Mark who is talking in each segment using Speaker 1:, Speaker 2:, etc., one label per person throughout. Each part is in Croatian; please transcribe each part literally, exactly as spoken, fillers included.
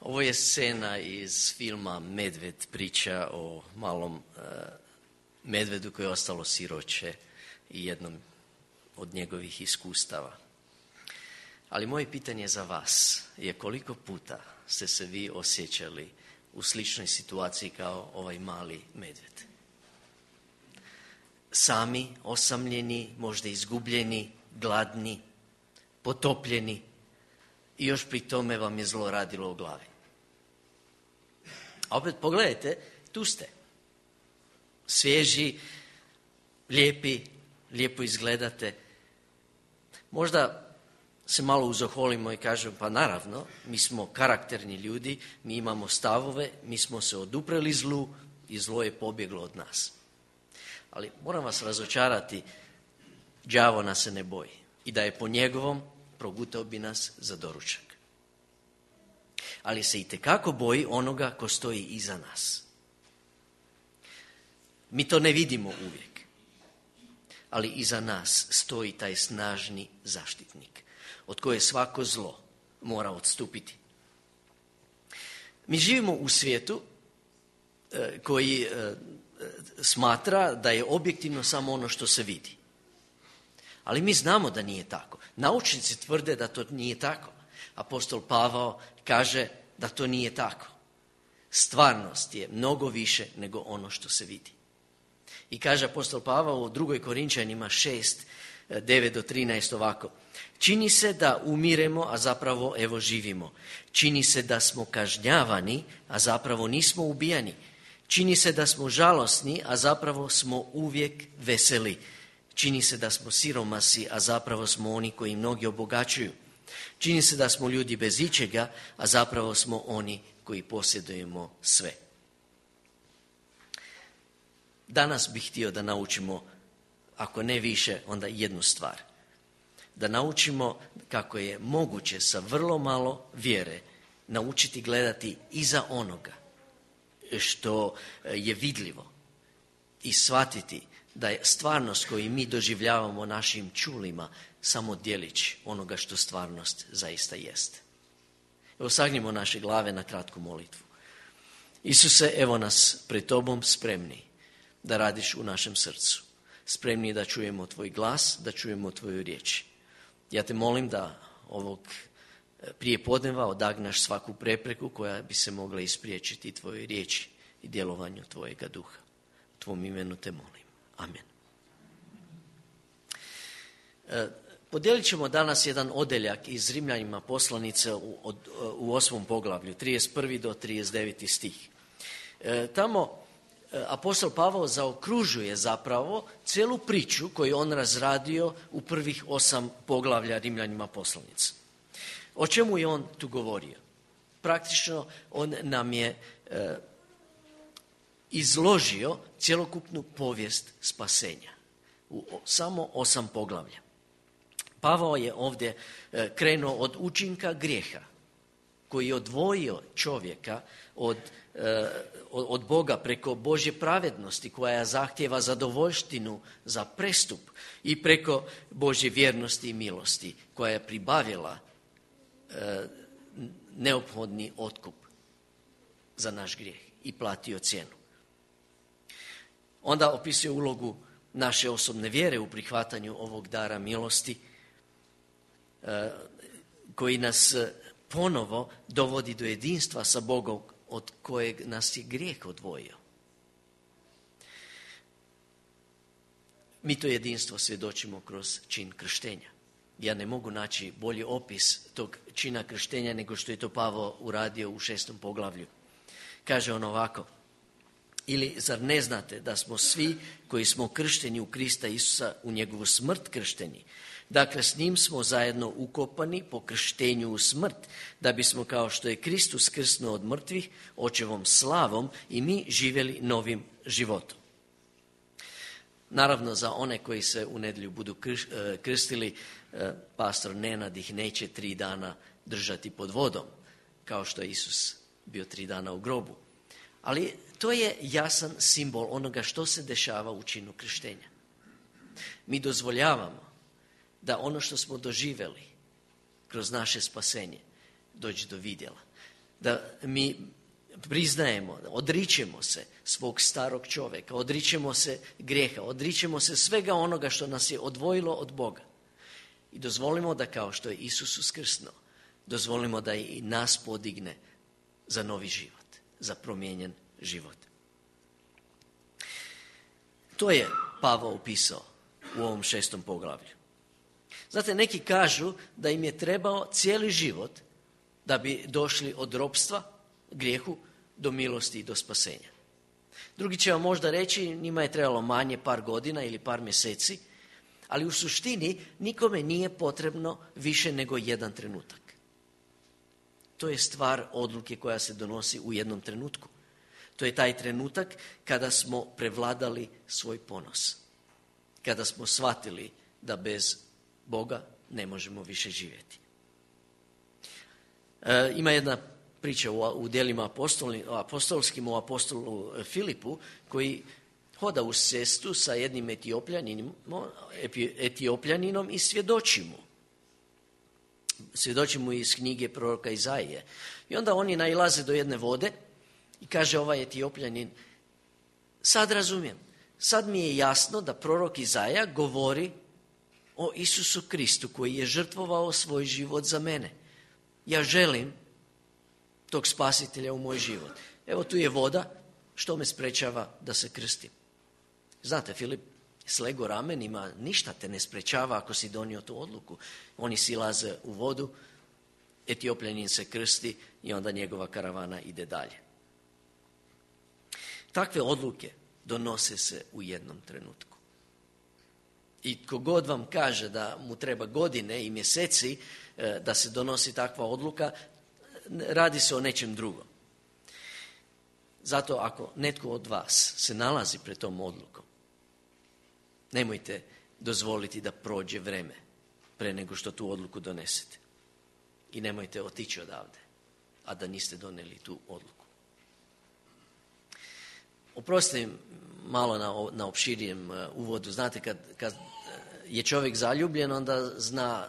Speaker 1: Ovo je scena iz filma Medved, priča o malom uh, medvedu koje je ostalo siroće i jednom od njegovih iskustava. Ali moje pitanje za vas je koliko puta ste se vi osjećali u sličnoj situaciji kao ovaj mali medved? Sami, osamljeni, možda izgubljeni, gladni, potopljeni i još pri tome vam je zlo radilo u glavi. A opet pogledajte, tu ste. Svježi, lijepi, lijepo izgledate. Možda se malo uzoholimo i kažemo, pa naravno, mi smo karakterni ljudi, mi imamo stavove, mi smo se odupreli zlu i zlo je pobjeglo od nas. Ali moram vas razočarati, đavo nas se ne boji i da je po njegovom progutao bi nas za doručak. Ali se itekako boji onoga ko stoji iza nas. Mi to ne vidimo uvijek, ali iza nas stoji taj snažni zaštitnik od koje svako zlo mora odstupiti. Mi živimo u svijetu e, koji e, smatra da je objektivno samo ono što se vidi. Ali mi znamo da nije tako. Naučnici tvrde da to nije tako. Apostol Pavao kaže da to nije tako. Stvarnost je mnogo više nego ono što se vidi. I kaže apostol Pavao u drugoj Korinčanima šest, devet do trinaest ovako. Čini se da umiremo, a zapravo evo živimo. Čini se da smo kažnjavani, a zapravo nismo ubijani. Čini se da smo žalosni, a zapravo smo uvijek veseli. Čini se da smo siromasi, a zapravo smo oni koji mnogi obogaćuju. Čini se da smo ljudi bez ičega, a zapravo smo oni koji posjedujemo sve. Danas bih htio da naučimo, ako ne više, onda jednu stvar. Da naučimo kako je moguće sa vrlo malo vjere naučiti gledati iza onoga što je vidljivo i shvatiti da je stvarnost koju mi doživljavamo našim čulima samo djelić onoga što stvarnost zaista jeste. Evo sagnimo naše glave na kratku molitvu. Isuse, evo nas pred tobom spremni da radiš u našem srcu. Spremni da čujemo tvoj glas, da čujemo tvoju riječ. Ja te molim da ovog prije podneva odagnaš svaku prepreku koja bi se mogla ispriječiti tvojoj riječi i djelovanju tvojega duha. U tvom imenu te molim. Amen. E, podijelit ćemo danas jedan odeljak iz Rimljanima poslanice u, od, u osmom poglavlju, trideset prvi do trideset deveti stih. E, tamo e, apostol Pavao zaokružuje zapravo cijelu priču koju on razradio u prvih osam poglavlja Rimljanima poslanice. O čemu je on tu govorio? Praktično on nam je e, izložio cjelokupnu povijest spasenja u samo osam poglavlja. Pavao je ovdje e, krenuo od učinka grijeha koji je odvojio čovjeka od, e, od Boga preko Božje pravednosti koja zahtjeva zadovoljštinu za prestup i preko Božje vjernosti i milosti koja je pribavila e, neophodni otkup za naš grijeh i platio cijenu. Onda opisuje ulogu naše osobne vjere u prihvatanju ovog dara milosti e, koji nas ponovo dovodi do jedinstva sa Bogom od kojeg nas je grijeh odvojio. Mi to jedinstvo svjedočimo kroz čin krštenja. Ja ne mogu naći bolji opis tog čina krštenja nego što je to Pavao uradio u šestom poglavlju. Kaže on ovako. Ili zar ne znate da smo svi koji smo kršteni u Krista Isusa u njegovu smrt kršteni? Dakle, s njim smo zajedno ukopani po krštenju u smrt, da bismo kao što je Kristus krsnuo od mrtvih, očevom slavom i mi živjeli novim životom. Naravno, za one koji se u nedjelju budu krstili, pastor Nenad ih neće tri dana držati pod vodom, kao što je Isus bio tri dana u grobu. Ali to je jasan simbol onoga što se dešava u činu krštenja. Mi dozvoljavamo da ono što smo doživjeli kroz naše spasenje dođe do vidjela. da mi priznajemo, odričemo se svog starog čovjeka, odričemo se grijeha, odričemo se svega onoga što nas je odvojilo od Boga. I dozvolimo da kao što je Isus uskrsnuo, dozvolimo da i nas podigne za novi život, za promijenjen život. To je Pavao opisao u ovom šestom poglavlju. Znate, neki kažu da im je trebao cijeli život da bi došli od ropstva, grijehu, do milosti i do spasenja. Drugi će vam možda reći, njima je trebalo manje par godina ili par mjeseci, ali u suštini nikome nije potrebno više nego jedan trenutak. To je stvar odluke koja se donosi u jednom trenutku. To je taj trenutak kada smo prevladali svoj ponos. Kada smo shvatili da bez Boga ne možemo više živjeti. E, ima jedna priča u, u djelima apostoli, apostolskim o apostolu Filipu koji hoda uz cestu sa jednim etiopljaninom, etiopljaninom i svjedoči mu. Svjedoči mu iz knjige proroka Izaije. I onda oni nailaze do jedne vode i kaže ovaj etiopljanin, sad razumijem, sad mi je jasno da prorok Izaija govori o Isusu Kristu koji je žrtvovao svoj život za mene. Ja želim tog spasitelja u moj život. Evo tu je voda, što me sprečava da se krstim. Znate, Filip slego ramenima, ništa te ne sprečava ako si donio tu odluku. Oni silaze u vodu, etiopljanin se krsti i onda njegova karavana ide dalje. Takve odluke donose se u jednom trenutku. I tko god vam kaže da mu treba godine i mjeseci da se donosi takva odluka, radi se o nečem drugom. Zato ako netko od vas se nalazi pred tom odlukom, nemojte dozvoliti da prođe vreme pre nego što tu odluku donesete. I nemojte otići odavde, a da niste donijeli tu odluku. Oprostite malo na, na opširijem uvodu. Znate, kad, kad je čovjek zaljubljen, onda zna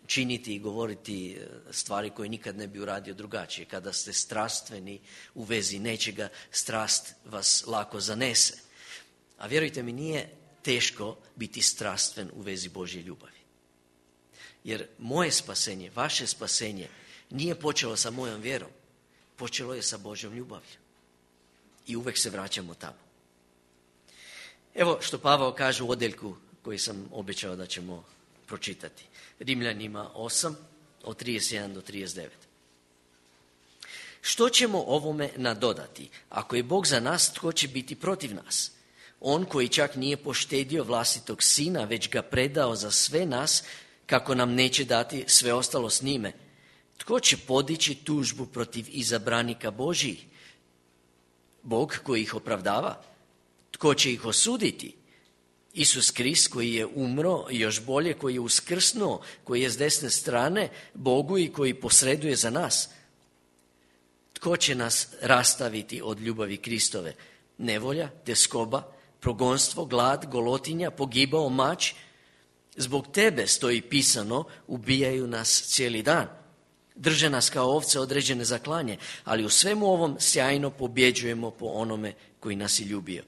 Speaker 1: činiti i govoriti stvari koje nikad ne bi uradio drugačije. Kada ste strastveni u vezi nečega, strast vas lako zanese. A vjerujte mi, nije teško biti strastven u vezi Božje ljubavi. Jer moje spasenje, vaše spasenje nije počelo sa mojom vjerom. Počelo je sa Božjom ljubavlju. I uvek se vraćamo tamo. Evo što Pavao kaže u odjeljku koji sam obećao da ćemo pročitati. Rimljanima osam, od trideset jedan do trideset devet. Što ćemo ovome nadodati? Ako je Bog za nas, tko će biti protiv nas? On koji čak nije poštedio vlastitog sina, već ga predao za sve nas, kako nam neće dati sve ostalo s njime. Tko će podići tužbu protiv izabranika Božjih? Bog koji ih opravdava? Tko će ih osuditi? Isus Krist koji je umro, još bolje koji je uskrsnuo, koji je s desne strane Bogu i koji posreduje za nas. Tko će nas rastaviti od ljubavi Kristove? Nevolja, tjeskoba, progonstvo, glad, golotinja, pogibao, mač. Zbog tebe, stoji pisano, ubijaju nas cijeli dan. Drže nas kao ovce određene za klanje, ali u svemu ovom sjajno pobjeđujemo po onome koji nas je ljubio.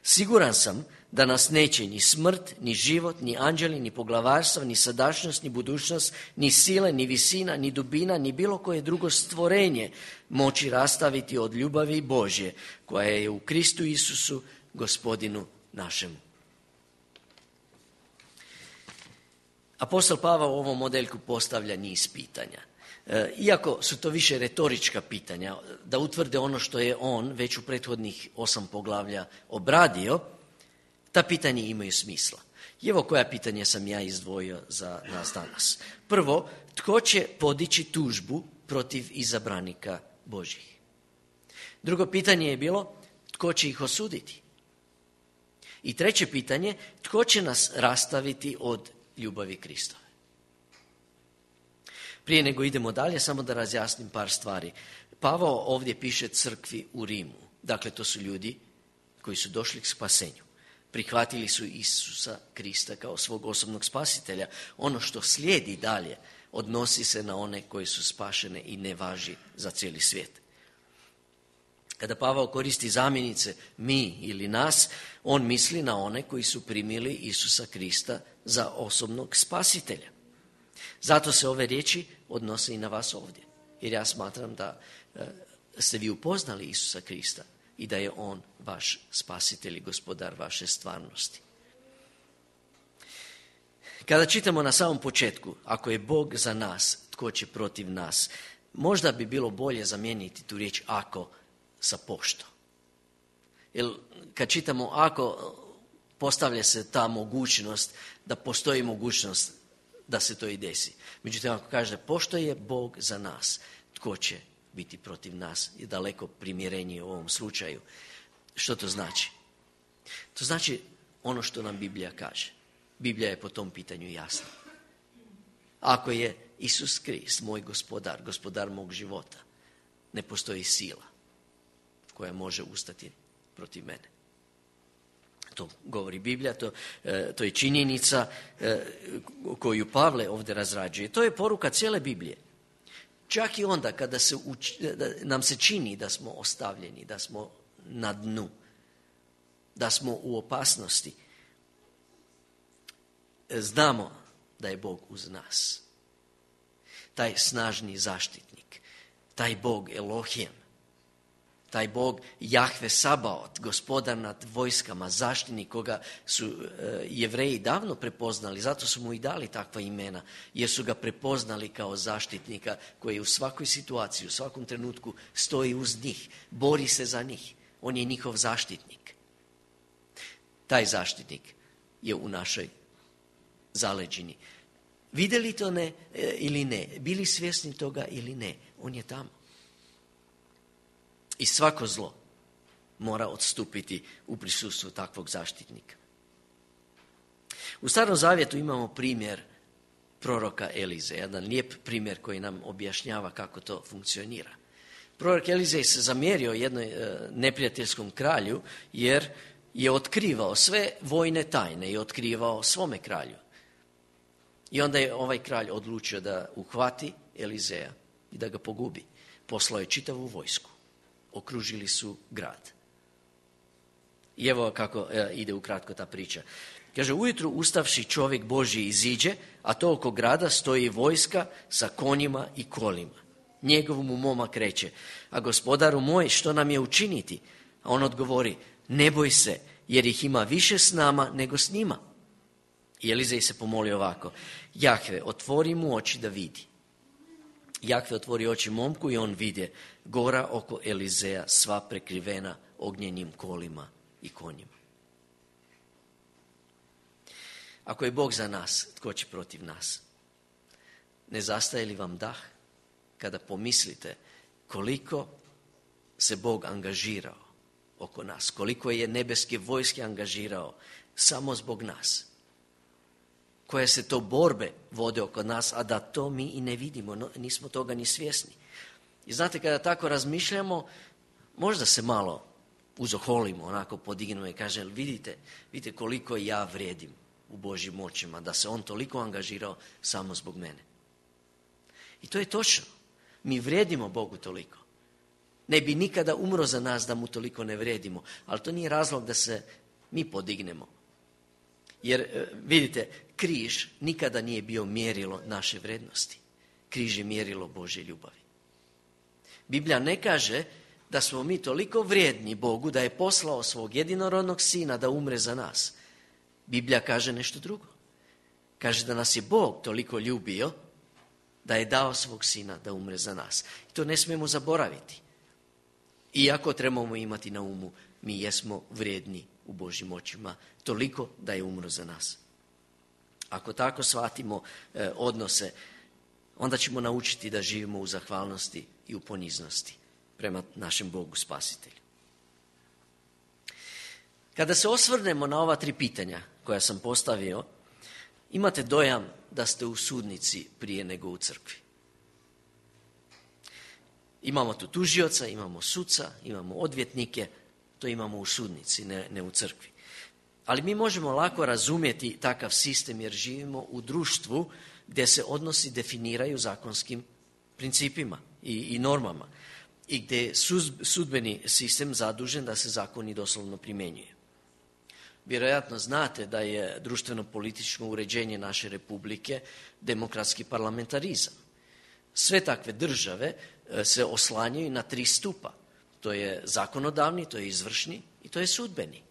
Speaker 1: Siguran sam da nas neće ni smrt, ni život, ni anđeli, ni poglavarstva, ni sadašnjost, ni budućnost, ni sile, ni visina, ni dubina, ni bilo koje drugo stvorenje moći rastaviti od ljubavi Božje, koja je u Kristu Isusu, Gospodinu našemu. Apostol Pavao u ovom modeljku postavlja niz pitanja. Iako su to više retorička pitanja, da utvrde ono što je on već u prethodnih osam poglavlja obradio, ta pitanja imaju smisla. I evo koja pitanja sam ja izdvojio za nas danas. Prvo, tko će podići tužbu protiv izabranika Božjih? Drugo pitanje je bilo, tko će ih osuditi? I treće pitanje, tko će nas rastaviti od ljubavi Kristove? Prije nego idemo dalje, samo da razjasnim par stvari. Pavao ovdje piše crkvi u Rimu. Dakle, to su ljudi koji su došli k spasenju. Prihvatili su Isusa Krista kao svog osobnog spasitelja. Ono što slijedi dalje Odnosi se na one koji su spašene i ne važi za cijeli svijet. Kada Pavao koristi zamjenice mi ili nas, on misli na one koji su primili Isusa Krista za osobnog spasitelja. Zato se ove riječi odnose i na vas ovdje. Jer ja smatram da e, ste vi upoznali Isusa Krista i da je on vaš spasitelj i gospodar vaše stvarnosti. Kada čitamo na samom početku, ako je Bog za nas, tko će protiv nas, možda bi bilo bolje zamijeniti tu riječ ako sa pošto. Jer kad čitamo ako, postavlja se ta mogućnost da postoji mogućnost da se to i desi. Međutim, ako kaže pošto je Bog za nas, tko će biti protiv nas, je daleko primjerenije u ovom slučaju. Što to znači? To znači ono što nam Biblija kaže. Biblija je po tom pitanju jasna. Ako je Isus Krist moj gospodar, gospodar mog života, ne postoji sila koja može ustati protiv mene. To govori Biblija, to, to je činjenica koju Pavle ovdje razrađuje. To je poruka cijele Biblije. Čak i onda kada se uči, da nam se čini da smo ostavljeni, da smo na dnu, da smo u opasnosti, znamo da je Bog uz nas. Taj snažni zaštitnik, taj Bog Elohim, taj Bog Jahve Sabaot, gospodar nad vojskama, zaštitnik koga su e, Jevreji davno prepoznali, zato su mu i dali takva imena, jer su ga prepoznali kao zaštitnika koji u svakoj situaciji, u svakom trenutku stoji uz njih, bori se za njih. On je njihov zaštitnik. Taj zaštitnik je u našoj zaleđini. Vidjeli to ne e, ili ne, bili svjesni toga ili ne, on je tamo. I svako zlo mora odstupiti u prisustvu takvog zaštitnika. U Starom Zavjetu imamo primjer proroka Elize, jedan lijep primjer koji nam objašnjava kako to funkcionira. Prorok Elizej se zamjerio jednoj e, neprijateljskom kralju jer je otkrivao sve vojne tajne i otkrivao svome kralju. I onda je ovaj kralj odlučio da uhvati Elizeja i da ga pogubi. Poslao je čitavu vojsku. Okružili su grad. I evo kako e, ide ukratko ta priča. Kaže, ujutru ustavši čovjek Božji iziđe, a to oko grada stoji vojska sa konjima i kolima. Njegov mu momak reče, a gospodaru moj, što nam je učiniti? A on odgovori, ne boj se, jer ih ima više s nama nego s njima. I Elizej se pomoli ovako, Jahve, otvori mu oči da vidi. Jahve otvori oči momku i on vidje gora oko Elizeja sva prekrivena ognjenim kolima i konjima. Ako je Bog za nas, tko će protiv nas? Ne zastaje li vam dah kada pomislite koliko se Bog angažirao oko nas, koliko je nebeske vojske angažirao samo zbog nas? Koje se to borbe vode oko nas, a da to mi i ne vidimo, no, nismo toga ni svjesni. I znate, kada tako razmišljamo, možda se malo uzoholimo, onako podignemo i kažemo, vidite, vidite koliko ja vrijedim u Božjim očima, da se on toliko angažirao samo zbog mene. I to je točno. Mi vrijedimo Bogu toliko. Ne bi nikada umro za nas da mu toliko ne vrijedimo, ali to nije razlog da se mi podignemo. Jer, vidite, križ nikada nije bio mjerilo naše vrednosti. Križ je mjerilo Božje ljubavi. Biblija ne kaže da smo mi toliko vrijedni Bogu da je poslao svog jedinorodnog sina da umre za nas. Biblija kaže nešto drugo. Kaže da nas je Bog toliko ljubio da je dao svog sina da umre za nas. I to ne smijemo zaboraviti. Iako trebamo imati na umu, mi jesmo vrijedni u Božjim očima, toliko da je umro za nas. Ako tako shvatimo e, odnose, onda ćemo naučiti da živimo u zahvalnosti i u poniznosti prema našem Bogu Spasitelju. Kada se osvrnemo na ova tri pitanja koja sam postavio, imate dojam da ste u sudnici prije nego u crkvi. Imamo tu tužioca, imamo suca, imamo odvjetnike, to imamo u sudnici, ne, ne u crkvi. Ali mi možemo lako razumjeti takav sistem jer živimo u društvu gdje se odnosi definiraju zakonskim principima i, i normama i gdje je sudbeni sistem zadužen da se zakoni doslovno primjenjuje. Vjerojatno znate da je društveno-političko uređenje naše republike demokratski parlamentarizam. Sve takve države se oslanjaju na tri stupa. To je zakonodavni, to je izvršni i to je sudbeni.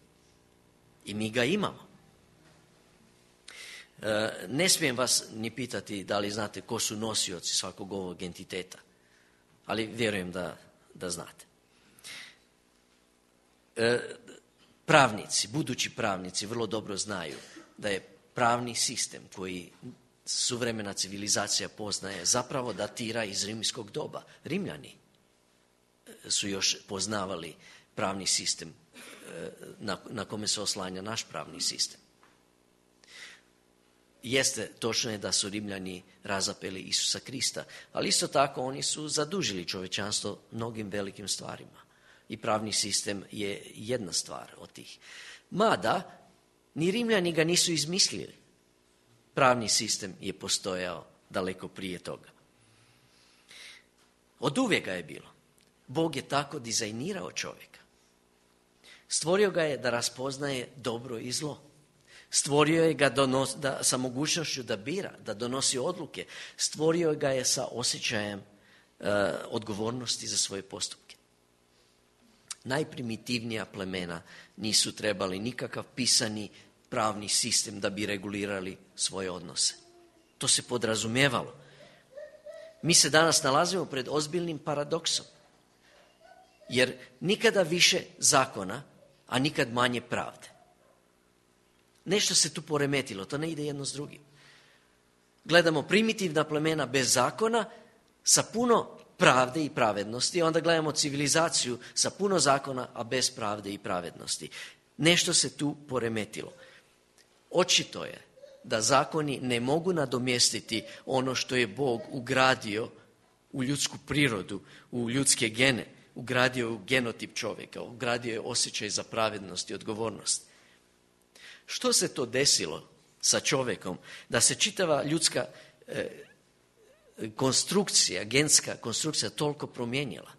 Speaker 1: I mi ga imamo. Ne smijem vas ni pitati da li znate ko su nosioci svakog ovog entiteta, ali vjerujem da, da znate. Pravnici, budući pravnici vrlo dobro znaju da je pravni sistem koji suvremena civilizacija poznaje zapravo datira iz rimskog doba. Rimljani su još poznavali pravni sistem na, na kome se oslanja naš pravni sistem. Jeste, točno je da su Rimljani razapeli Isusa Krista, ali isto tako oni su zadužili čovječanstvo mnogim velikim stvarima. I pravni sistem je jedna stvar od tih. Mada, ni Rimljani ga nisu izmislili. Pravni sistem je postojao daleko prije toga. Od uvijek ga je bilo. Bog je tako dizajnirao čovjeka. Stvorio ga je da raspoznaje dobro i zlo. Stvorio je ga donos, da, sa mogućnošću da bira, da donosi odluke. Stvorio ga je sa osjećajem e, odgovornosti za svoje postupke. Najprimitivnija plemena nisu trebali nikakav pisani pravni sistem da bi regulirali svoje odnose. To se podrazumijevalo. Mi se danas nalazimo pred ozbiljnim paradoksom. Jer nikada više zakona, a nikad manje pravde. Nešto se tu poremetilo, to ne ide jedno s drugim. Gledamo primitivna plemena bez zakona, sa puno pravde i pravednosti, onda gledamo civilizaciju sa puno zakona, a bez pravde i pravednosti. Nešto se tu poremetilo. Očito je da zakoni ne mogu nadomjestiti ono što je Bog ugradio u ljudsku prirodu, u ljudske gene, ugradio u genotip čovjeka, ugradio je osjećaj za pravednost i odgovornost. Što se to desilo sa čovjekom da se čitava ljudska e, konstrukcija, genska konstrukcija toliko promijenila,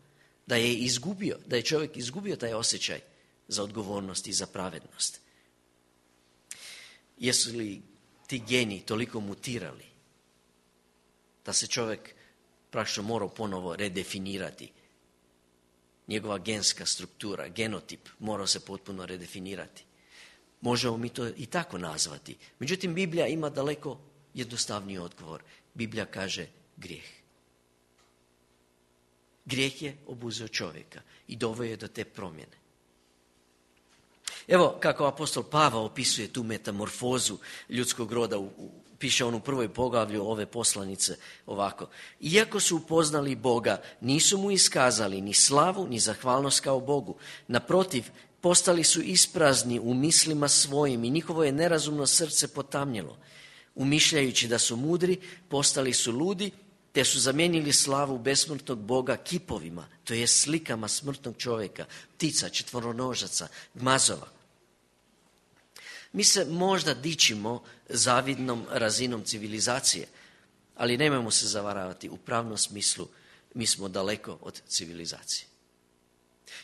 Speaker 1: da je izgubio, da je čovjek izgubio taj osjećaj za odgovornost i za pravednost? Jesu li ti geni toliko mutirali da se čovjek praktično morao ponovo redefinirati? Njegova genska struktura, genotip morao se potpuno redefinirati. Možemo mi to i tako nazvati. Međutim, Biblija ima daleko jednostavniji odgovor. Biblija kaže grijeh. Grijeh je obuzeo čovjeka i doveo je do te promjene. Evo kako apostol Pavao opisuje tu metamorfozu ljudskog roda, u, u, piše on u prvoj poglavlju ove poslanice ovako. Iako su upoznali Boga, nisu mu iskazali ni slavu, ni zahvalnost kao Bogu. Naprotiv, postali su isprazni u mislima svojim i njihovo je nerazumno srce potamnjelo. Umišljajući da su mudri, postali su ludi, te su zamijenili slavu besmrtnog Boga kipovima, to je slikama smrtnog čovjeka, ptica, četvoronožaca, gmazova. Mi se možda dičimo zavidnom razinom civilizacije, ali nemojmo se zavaravati, u pravnom smislu mi smo daleko od civilizacije.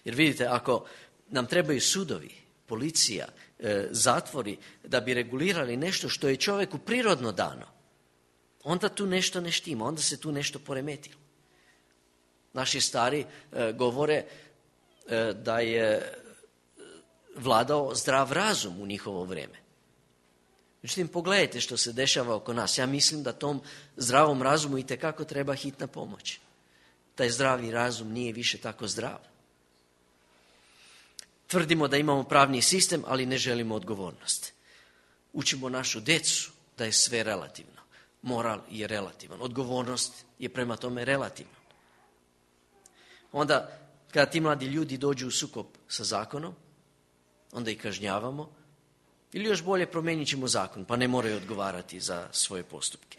Speaker 1: Jer vidite, ako nam trebaju sudovi, policija, e, zatvori da bi regulirali nešto što je čovjeku prirodno dano, onda tu nešto ne štima, onda se tu nešto poremetilo. Naši stari e, govore e, da je vladao zdrav razum u njihovo vrijeme. Međutim, pogledajte što se dešava oko nas. Ja mislim da tom zdravom razumu itekako treba hitna pomoć. Taj zdravi razum nije više tako zdrav. Tvrdimo da imamo pravni sistem, ali ne želimo odgovornost. Učimo našu djecu da je sve relativno. Moral je relativan. Odgovornost je prema tome relativna. Onda, kada ti mladi ljudi dođu u sukob sa zakonom, onda ih kažnjavamo, ili još bolje promijenit ćemo zakon, pa ne moraju odgovarati za svoje postupke.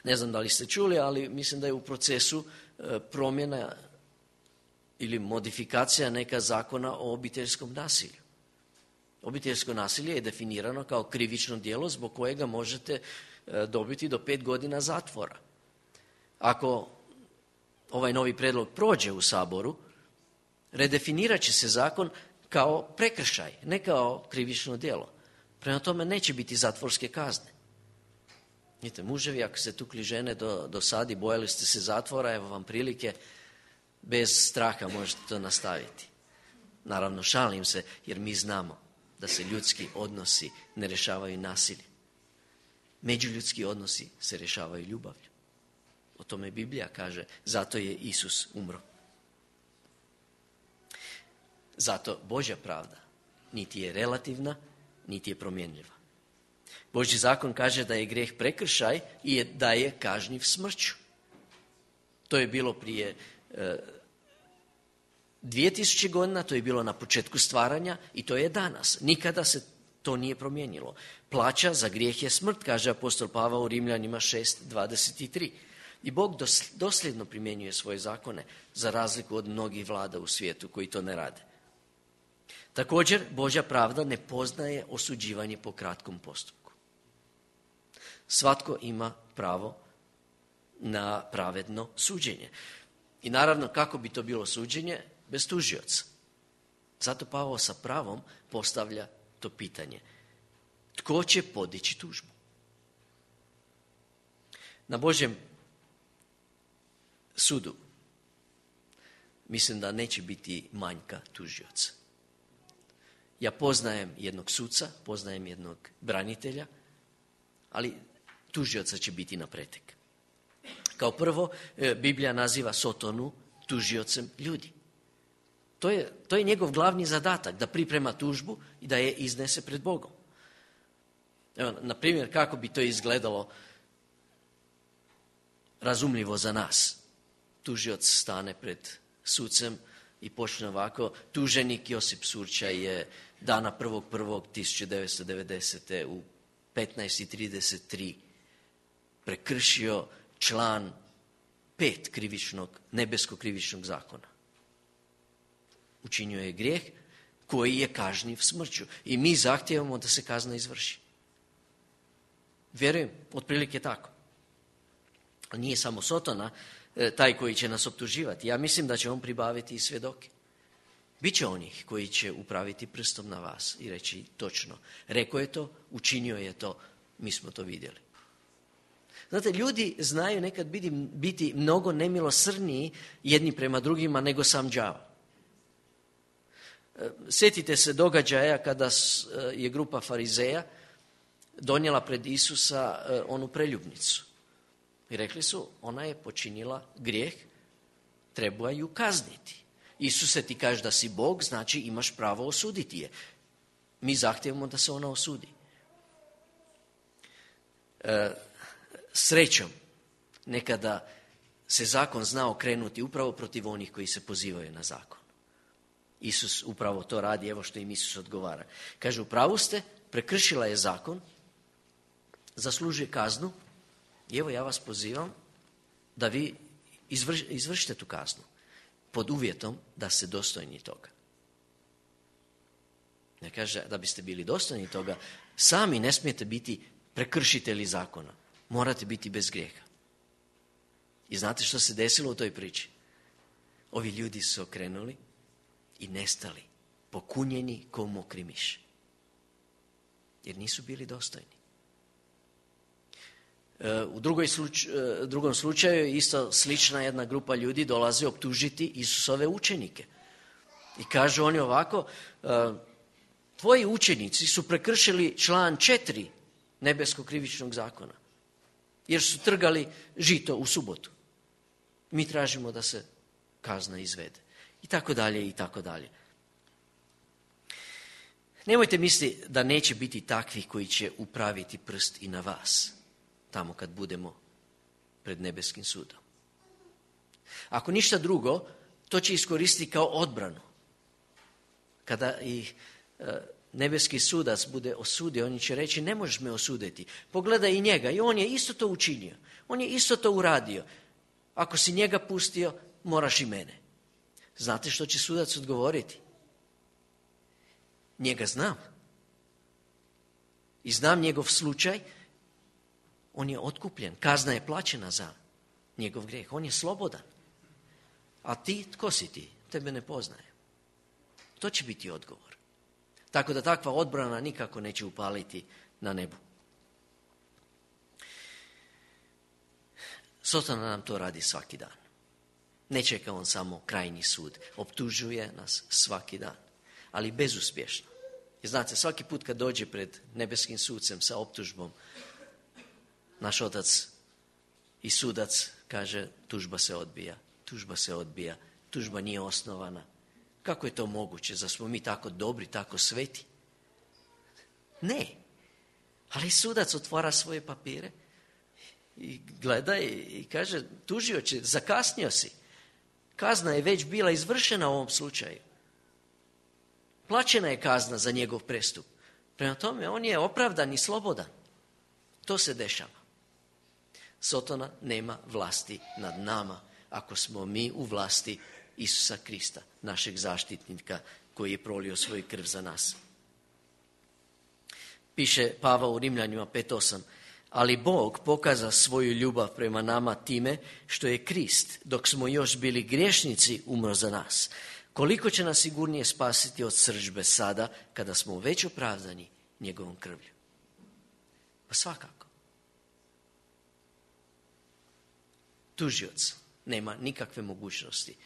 Speaker 1: Ne znam da li ste čuli, ali mislim da je u procesu promjena ili modifikacija neka zakona o obiteljskom nasilju. Obiteljsko nasilje je definirano kao krivično djelo zbog kojega možete dobiti do pet godina zatvora. Ako ovaj novi prijedlog prođe u Saboru, redefinirat će se zakon kao prekršaj, ne kao krivično djelo. Prema tome neće biti zatvorske kazne. Vidite, muževi, ako ste tukli žene do, do sad i bojali ste se zatvora, evo vam prilike, bez straha možete to nastaviti. Naravno, šalim se, jer mi znamo da se ljudski odnosi ne rješavaju nasiljem. Međuljudski odnosi se rješavaju ljubavlju. O tome Biblija kaže, zato je Isus umro. Zato Božja pravda niti je relativna, niti je promjenljiva. Božji zakon kaže da je grijeh prekršaj i da je kažnjiv smrću. To je bilo prije e, dvije tisuće godina, to je bilo na početku stvaranja i to je danas. Nikada se to nije promijenilo. Plaća za grijeh je smrt, kaže apostol Pavao u Rimljanima šest dvadeset tri. I Bog dosljedno primjenjuje svoje zakone, za razliku od mnogih vlada u svijetu koji to ne rade. Također, Božja pravda ne poznaje osuđivanje po kratkom postupku. Svatko ima pravo na pravedno suđenje. I naravno, kako bi to bilo suđenje? Bez tužioca. Zato Pavao sa pravom postavlja to pitanje. Tko će podići tužbu? Na Božjem sudu mislim da neće biti manjka tužioca. Ja poznajem jednog suca, poznajem jednog branitelja, ali tužioca će biti na pretek. Kao prvo, Biblija naziva Sotonu tužiocem ljudi. To je, to je njegov glavni zadatak, da priprema tužbu i da je iznese pred Bogom. Evo, na primjer, kako bi to izgledalo razumljivo za nas. Tužioc stane pred sucem i počne ovako. Tuženik Josip Surčaj je dana prvog prvog tisuće devetsto devedesete u petnaest i trideset tri prekršio član pet krivičnog, nebeskog krivičnog zakona. Učinio je grijeh koji je kažnjiv smrću. I mi zahtijevamo da se kazna izvrši. Vjerujem, otprilike tako. Ali nije samo Sotona taj koji će nas optuživati. Ja mislim da će on pribaviti i svjedoke. Biće onih koji će upraviti prstom na vas i reći točno. Rekao je to, učinio je to, mi smo to vidjeli. Znate, ljudi znaju nekad biti, biti mnogo nemilosrdniji jedni prema drugima nego sam đavo. Sjetite se događaja kada je grupa farizeja donijela pred Isusa onu preljubnicu. I rekli su, ona je počinila grijeh, treba ju kazniti. Isuse, ti kažeš da si Bog, znači imaš pravo osuditi je. Mi zahtijevamo da se ona osudi. E, srećom, nekada se zakon zna okrenuti upravo protiv onih koji se pozivaju na zakon. Isus upravo to radi, evo što im Isus odgovara. Kaže, u pravu ste, prekršila je zakon, zaslužuje kaznu, i evo ja vas pozivam da vi izvrš, izvršite tu kaznu pod uvjetom da ste dostojni toga. Ne kaže da biste bili dostojni toga, sami ne smijete biti prekršitelji zakona. Morate biti bez grijeha. I znate što se desilo u toj priči? Ovi ljudi su okrenuli i nestali, pokunjeni ko mokri miš. Jer nisu bili dostojni. U drugoj sluč, drugom slučaju isto slična jedna grupa ljudi dolazi optužiti Isusove učenike. I kažu oni ovako, tvoji učenici su prekršili član četiri nebeskog krivičnog zakona. Jer su trgali žito u subotu. Mi tražimo da se kazna izvede. I tako dalje, i tako dalje. Nemojte misliti da neće biti takvih koji će upraviti prst i na vas, tamo kad budemo pred nebeskim sudom. Ako ništa drugo, to će iskoristiti kao odbranu. Kada ih e, nebeski sudac bude osudio, oni će reći, ne možeš me osuditi. Pogledaj i njega, i on je isto to učinio. On je isto to uradio. Ako si njega pustio, moraš i mene. Znate što će sudac odgovoriti? Njega znam. I znam njegov slučaj On je otkupljen. Kazna je plaćena za njegov grijeh. On je slobodan. A ti, tko si ti? Tebe ne poznaje. To će biti odgovor. Tako da takva odbrana nikako neće upaliti na nebu. Sotona nam to radi svaki dan. Ne čeka on samo krajnji sud. Optužuje nas svaki dan. Ali bezuspješno. I znate, svaki put kad dođe pred nebeskim sucem sa optužbom, naš otac i sudac kaže tužba se odbija, tužba se odbija, tužba nije osnovana. Kako je to moguće? Zar smo mi tako dobri, tako sveti? Ne. Ali sudac otvara svoje papire i gleda i kaže tužioče, zakasnio si. Kazna je već bila izvršena u ovom slučaju. Plaćena je kazna za njegov prestup. Prema tome, on je opravdan i slobodan. To se dešava. Sotona nema vlasti nad nama ako smo mi u vlasti Isusa Krista, našeg zaštitnika koji je prolio svoju krv za nas. Piše Pavao u Rimljanima pet osam. Ali Bog pokaza svoju ljubav prema nama time što je Krist, dok smo još bili griješnici, umro za nas. Koliko će nas sigurnije spasiti od srdžbe sada, kada smo već opravdani njegovom krvlju? Pa svakako. Tužioc nema nikakve mogućnosti.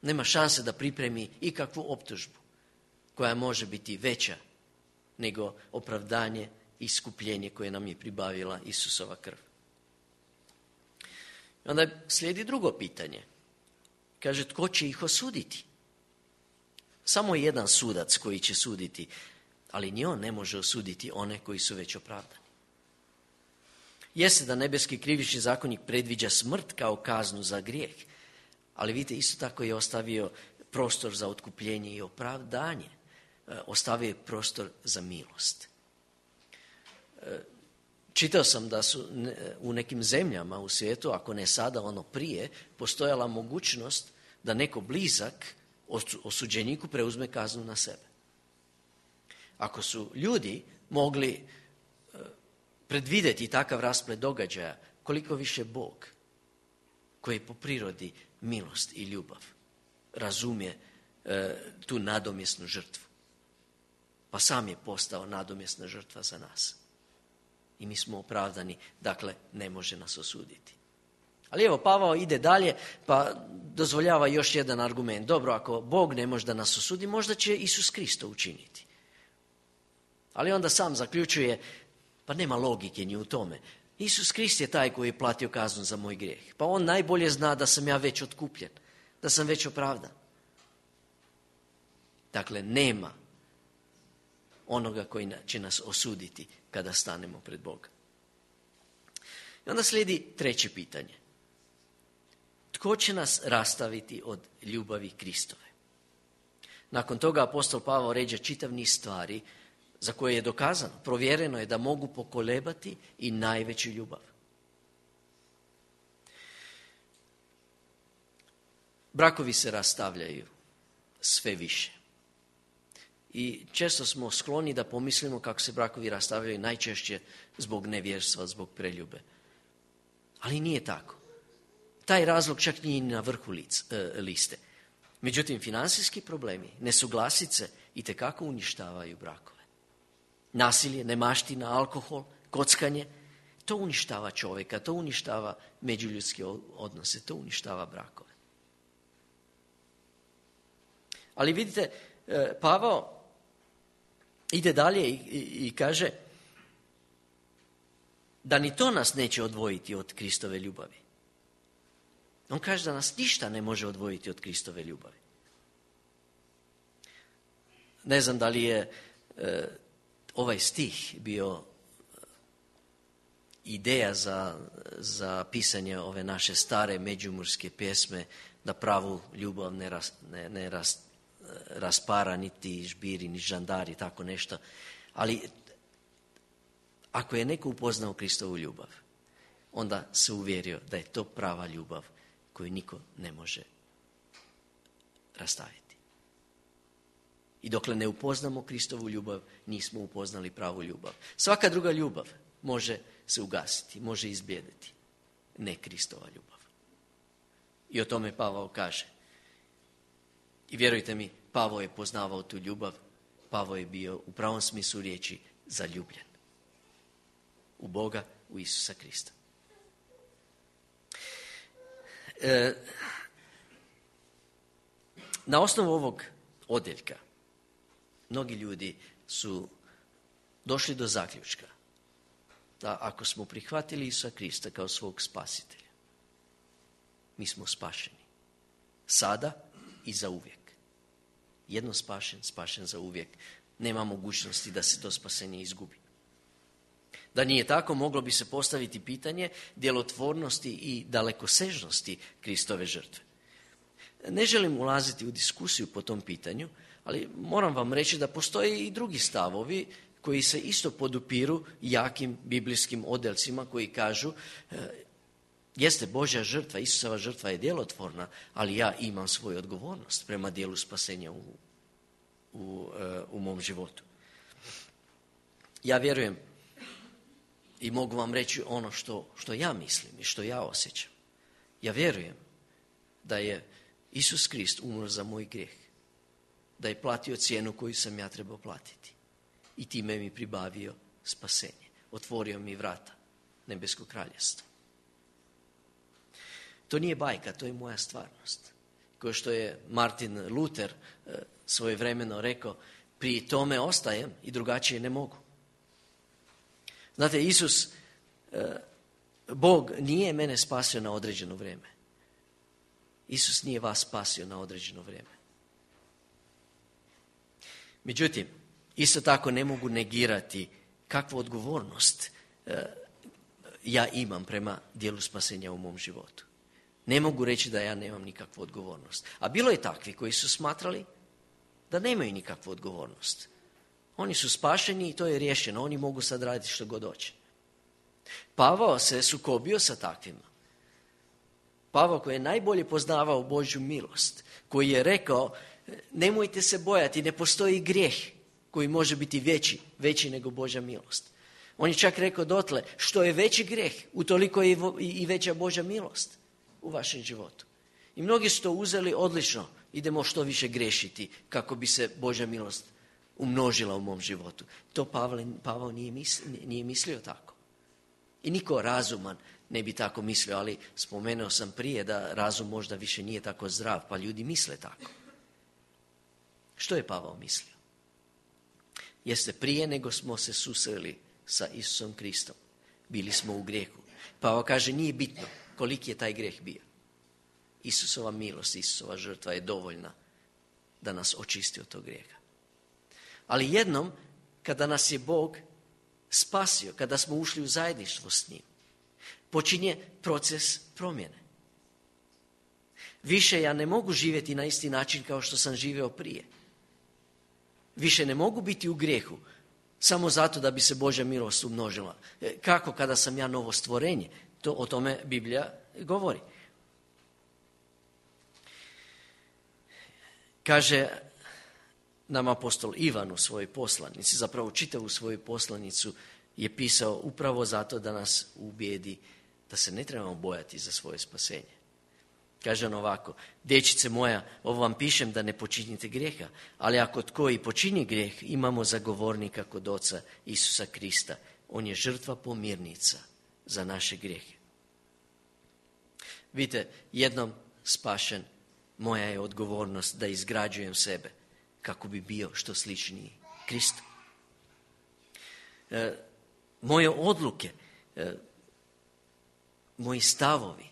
Speaker 1: Nema šanse da pripremi ikakvu optužbu koja može biti veća nego opravdanje i iskupljenje koje nam je pribavila Isusova krv. Onda slijedi drugo pitanje. Kaže, tko će ih osuditi? Samo jedan sudac koji će suditi, ali ni on ne može osuditi one koji su već opravdani. Jeste da nebeski krivični zakonik predviđa smrt kao kaznu za grijeh, ali vidite, isto tako je ostavio prostor za otkupljenje i opravdanje. Ostavio je prostor za milost. Čitao sam da su u nekim zemljama u svijetu, ako ne sada, ono prije, postojala mogućnost da neko blizak osuđeniku preuzme kaznu na sebe. Ako su ljudi mogli predvidjeti takav rasplet događaja, koliko više Bog, koji je po prirodi milost i ljubav, razumije e, tu nadomjesnu žrtvu. Pa sam je postao nadomjesna žrtva za nas. I mi smo opravdani, dakle ne može nas osuditi. Ali evo, Pavao ide dalje, pa dozvoljava još jedan argument. Dobro, ako Bog ne može da nas osudi, možda će Isus Krist učiniti. Ali onda sam zaključuje, pa nema logike ni u tome. Isus Krist je taj koji je platio kaznu za moj grijeh. Pa on najbolje zna da sam ja već otkupljen, da sam već opravdan. Dakle, nema onoga koji će nas osuditi kada stanemo pred Boga. I onda slijedi treće pitanje. Tko će nas rastaviti od ljubavi Kristove? Nakon toga apostol Pavao ređe čitav niz stvari za koje je dokazano, provjereno je da mogu pokolebati i najveću ljubav. Brakovi se rastavljaju sve više. I često smo skloni da pomislimo kako se brakovi rastavljaju najčešće zbog nevjerstva, zbog preljube. Ali nije tako. Taj razlog čak nije na vrhu lic, e, liste. Međutim, financijski problemi, nesuglasice itekako uništavaju brakove. Nasilje, nemaština, alkohol, kockanje, to uništava čovjeka, to uništava međuljudske odnose, to uništava brakove. Ali vidite, Pavao ide dalje i, i, i kaže da ni to nas neće odvojiti od Kristove ljubavi. On kaže da nas ništa ne može odvojiti od Kristove ljubavi. Ne znam da li je e, ovaj stih bio ideja za, za pisanje ove naše stare međumurske pjesme, da pravu ljubav ne, ras, ne, ne ras, raspara niti žbiri, ni žandari, tako nešto. Ali ako je neko upoznao Kristovu ljubav, onda se uvjerio da je to prava ljubav koju niko ne može rastaviti. I dokle ne upoznamo Kristovu ljubav, nismo upoznali pravu ljubav. Svaka druga ljubav može se ugasiti, može izblijediti. Ne Kristova ljubav. I o tome Pavao kaže. I vjerujte mi, Pavao je poznavao tu ljubav. Pavao je bio u pravom smislu riječi zaljubljen. U Boga, u Isusa Krista. E, na osnovu ovog odjeljka mnogi ljudi su došli do zaključka da ako smo prihvatili Isusa Krista kao svog spasitelja, mi smo spašeni. Sada i za uvijek. Jedno spašen, spašen za uvijek. Nema mogućnosti da se to spasenje izgubi. Da nije tako, moglo bi se postaviti pitanje djelotvornosti i dalekosežnosti Kristove žrtve. Ne želim ulaziti u diskusiju po tom pitanju, ali moram vam reći da postoje i drugi stavovi koji se isto podupiru jakim biblijskim odjeljcima koji kažu e, jeste Božja žrtva, Isusova žrtva je djelotvorna, ali ja imam svoju odgovornost prema dijelu spasenja u, u, e, u mom životu. Ja vjerujem i mogu vam reći ono što, što ja mislim i što ja osjećam. Ja vjerujem da je Isus Krist umro za moj grijeh, da je platio cijenu koju sam ja trebao platiti i time mi pribavio spasenje. Otvorio mi vrata nebeskog kraljestva. To nije bajka, to je moja stvarnost. Kao što je Martin Luther svojevremeno rekao, pri tome ostajem i drugačije ne mogu. Znate, Isus, Bog nije mene spasio na određeno vrijeme. Isus nije vas spasio na određeno vrijeme. Međutim, isto tako ne mogu negirati kakvu odgovornost ja imam prema dijelu spasenja u mom životu. Ne mogu reći da ja nemam nikakvu odgovornost. A bilo je takvi koji su smatrali da nemaju nikakvu odgovornost. Oni su spašeni i to je riješeno. Oni mogu sad raditi što god hoće. Pavao se sukobio sa takvima. Pavao koji je najbolje poznavao Božju milost, koji je rekao nemojte se bojati, ne postoji grijeh koji može biti veći, veći nego Božja milost. On je čak rekao dotle, što je veći grijeh, utoliko je i veća Božja milost u vašem životu. I mnogi su to uzeli odlično, idemo što više griješiti kako bi se Božja milost umnožila u mom životu. To Pavle, Pavao nije mislio, nije mislio tako. I niko razuman ne bi tako mislio, ali spomenuo sam prije da razum možda više nije tako zdrav, pa ljudi misle tako. Što je Pavao mislio? Jeste prije nego smo se susreli sa Isusom Kristom, bili smo u grijehu. Pavao kaže nije bitno koliki je taj grijeh bio. Isusova milost, Isusova žrtva je dovoljna da nas očisti od tog grijeha. Ali jednom, kada nas je Bog spasio, kada smo ušli u zajedništvo s njim, počinje proces promjene. Više ja ne mogu živjeti na isti način kao što sam živio prije. Više ne mogu biti u grijehu samo zato da bi se Božja milost umnožila. Kako kada sam ja novo stvorenje? To, o tome Biblija govori. Kaže nam apostol Ivan u svojoj poslanici, zapravo čitavu svoju poslanicu je pisao upravo zato da nas ubijedi da se ne trebamo bojati za svoje spasenje. Kaže on ovako, dječice moja, ovo vam pišem da ne počinite grijeha, ali ako tko i počini grijeh, imamo zagovornika kod Oca Isusa Krista. On je žrtva pomirnica za naše grijehe. Vidite, jednom spašen, moja je odgovornost da izgrađujem sebe kako bi bio što sličniji Kristu. E, moje odluke, e, moji stavovi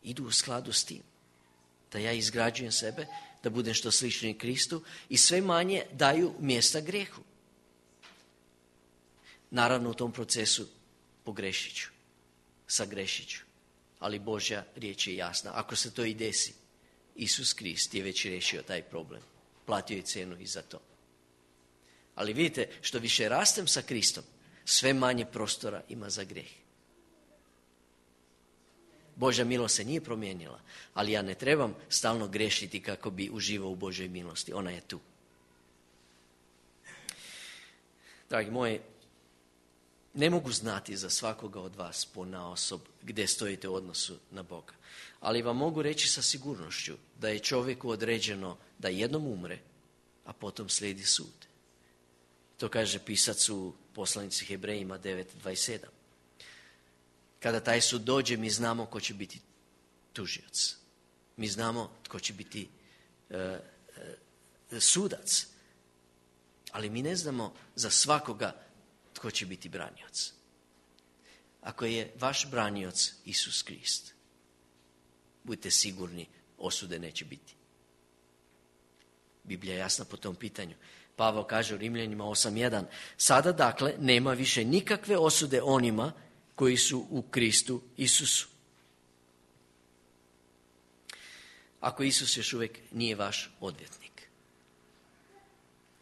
Speaker 1: idu u skladu s tim. Da ja izgrađujem sebe, da budem što sličniji Kristu i sve manje daju mjesta grijehu. Naravno u tom procesu pogrešit ću, sagrešit ću, ali Božja riječ je jasna. Ako se to i desi, Isus Krist je već riješio taj problem. Platio je cijenu i za to. Ali vidite, što više rastem sa Kristom, sve manje prostora ima za grijeh. Božja milost se nije promijenila, ali ja ne trebam stalno grešiti kako bi uživao u Božjoj milosti. Ona je tu. Dragi moji, Ne mogu znati za svakoga od vas ponaosob gdje stojite u odnosu na Boga. Ali vam mogu reći sa sigurnošću da je čovjeku određeno da jednom umre, a potom slijedi sud. To kaže pisac u poslanici Hebrejima devet dvadeset sedam. Kada taj sud dođe, mi znamo ko će biti tužioc. Mi znamo tko će biti e, e, sudac. Ali mi ne znamo za svakoga tko će biti branioc. Ako je vaš branioc Isus Krist, budite sigurni, osude neće biti. Biblija je jasna po tom pitanju. Pavao kaže u Rimljanima osam jedan. Sada dakle nema više nikakve osude onima koji su u Kristu Isusu. Ako Isus još uvijek nije vaš odvjetnik,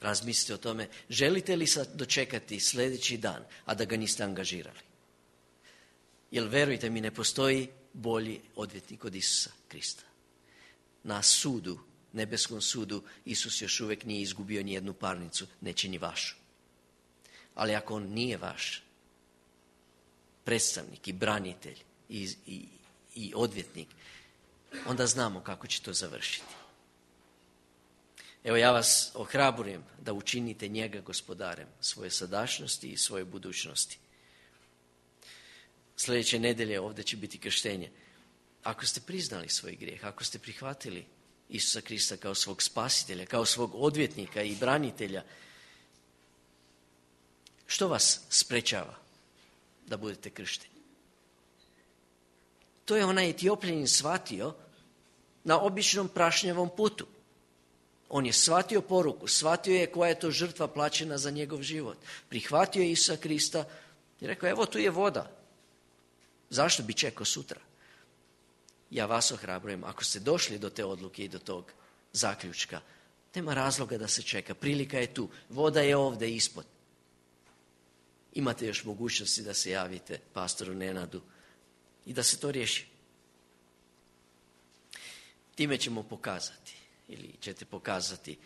Speaker 1: razmislite o tome, želite li sad dočekati sljedeći dan, a da ga niste angažirali? Jer verujte mi, ne postoji bolji odvjetnik od Isusa Krista. Na sudu, nebeskom sudu, Isus još uvijek nije izgubio ni jednu parnicu, neće ni vašu. Ali ako on nije vaš predstavnik i branitelj i, i, i odvjetnik, onda znamo kako će to završiti. Evo, ja vas ohrabrujem da učinite njega gospodarem svoje sadašnjosti i svoje budućnosti. Sljedeće nedelje ovdje će biti krštenje. Ako ste priznali svoj grijeh, ako ste prihvatili Isusa Krista kao svog spasitelja, kao svog odvjetnika i branitelja, što vas sprečava da budete kršteni? To je onaj Etiopljanin shvatio na običnom prašnjavom putu. On je shvatio poruku, shvatio je koja je to žrtva plaćena za njegov život. Prihvatio je Isusa Krista i rekao, evo tu je voda. Zašto bi čekao sutra? Ja vas ohrabrujem, ako ste došli do te odluke i do tog zaključka, nema razloga da se čeka. Prilika je tu. Voda je ovdje ispod. Imate još mogućnosti da se javite pastoru Nenadu i da se to riješi. Time ćemo pokazati, ili ćete pokazati,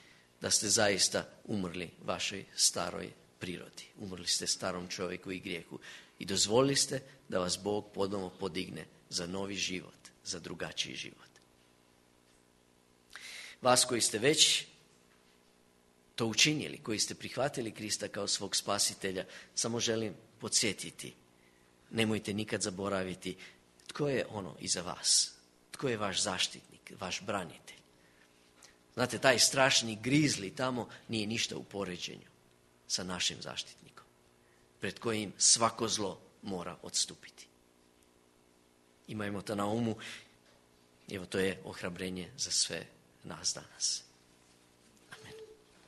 Speaker 1: da ste zaista umrli vašoj staroj prirodi. Umrli ste starom čovjeku i grijehu i dozvolili ste da vas Bog ponovno podigne za novi život, za drugačiji život. Vas koji ste već to učinili, koji ste prihvatili Krista kao svog spasitelja, samo želim podsjetiti, nemojte nikad zaboraviti tko je ono iza vas, tko je vaš zaštitnik, vaš branitelj. Znate, taj strašni grizli tamo nije ništa u poređenju sa našim zaštitnikom, pred kojim svako zlo mora odstupiti. Imajmo to na umu, evo to je ohrabrenje za sve nas danas.